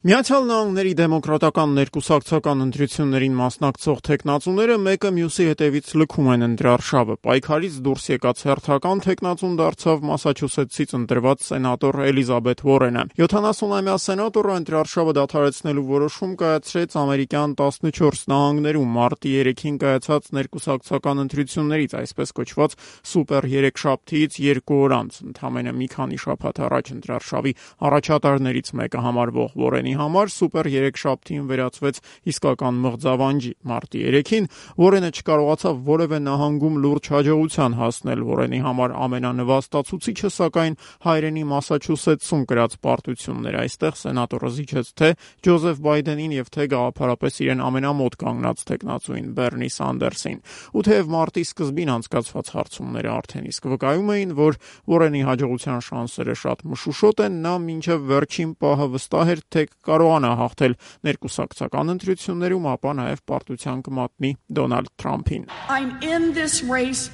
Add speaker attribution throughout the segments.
Speaker 1: Միացյալ Նահանգների դեմոկրատական ներկուսակցական ընտրություններին մասնակցող թեկնածուները մեկը մյուսի հետևից լքում են ընտրարշավը։ Պայքարից դուրս եկած հերթական թեկնածուն դարձավ Մասաչուսեթսից ընտրված սենատոր Էլիզաբեթ Ուորենը։ 70-ամյա սենատորը ընտրարշավը դադարեցնելու որոշում կայացրեց ամերիկյան 14 նահանգներում մարտի 3-ին կայացած ներկուսակցական ընտրություններից, այսպես կոչված սուպեր երեքշաբթիից 2 օր անց, ընդամենը մի քանի շաբաթ առաջ ընտրարշավի առաջատարներից մեկը համարվող Ուորենի համար սուպեր երեքշաբթին վերածվեց իսկական մղձավանջի։ Մարտի 3-ին Ուորենը չկարողացավ որևէ նահանգում լուրջ հաջողության հասնել։ Ուորենի համար ամենանվաստացուցիչը, սակայն, հայրենի Մասաչուսեթսում կրած պարտություններ։ Այստեղ սենատորը զիջեց թե Ջոզեֆ Բայդենին եւ թե գաղափարապես իրեն ամենամոտ կանգնած թեկնածուին Բեռնի Սանդերսին։ Ու թեև մարտի սկզբին անցկացված հարցումները արդեն իսկ վկայում էին, որ Ուորենի հաջողության շանսերը շատ մշուշոտ են, նա մինչև վերջին պահը վստահ էր, թե կարողանա հաղթել ներկուսակցական ընտրություններում, ապա նաև պարտության կմատնի Դոնալդ Թրամփին։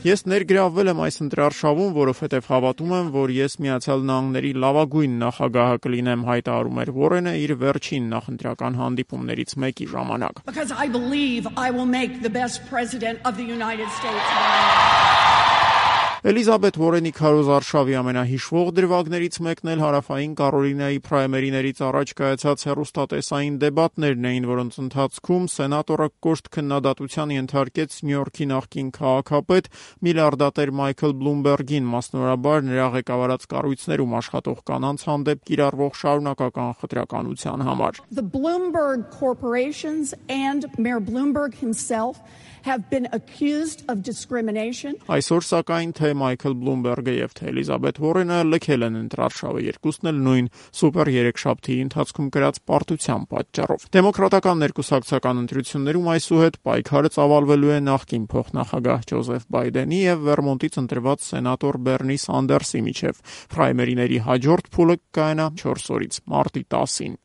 Speaker 1: Ես ներգրավվել եմ այս ընտրարշավում, որովհետև հավատում եմ, որ ես Միացյալ Նահանգների լավագույն նախագահը կլինեմ, հայտարարում էր Ուորենը իր վերջին նախընտրական հանդիպումներից մեկի ժամանակ։ Էլիզաբեթ Ուորենի քարոզարշավի ամենահիշվող դրվագներից մեկն էլ հարավային Կարոլինայի պրայմերիներից առաջ կայացած հեռուստատեսային դեբատներն էին, որոնց ընթացքում սենատորը կոշտ քննադատության ենթարկեց Նյու Յորքի նախկին քաղաքապետ միլիարդատեր Մայքլ Բլումբերգին, մասնավորաբար նրա ղեկավարած կառույցներում աշխատող կանանց հանդեպ կիրառվող շարունակական խտրականության համար։
Speaker 2: The Bloomberg corporations and Mayor Bloomberg himself have been accused of discrimination.
Speaker 1: Այսօր սակայն թե Մայքլ Բլումբերգը եւ թե Էլիզաբեթ Ուորենը լքել են ընտրարշավը, երկուսն էլ նույն սուպեր երեքշաբթիի ընթացքում կրած պարտության պատճառով։ Դեմոկրատական ներկուսակցական ընտրություններում այսուհետ պայքարը ծավալվելու է նախկին փոխնախագահ Ջոզեֆ Բայդենի եւ Վերմոնտից ընտրված սենատոր Բեռնի Սանդերսի միջև։ Պրայմերիների հաջորդ փուլը կայանա 4 օրից՝ մարտի 10-ին։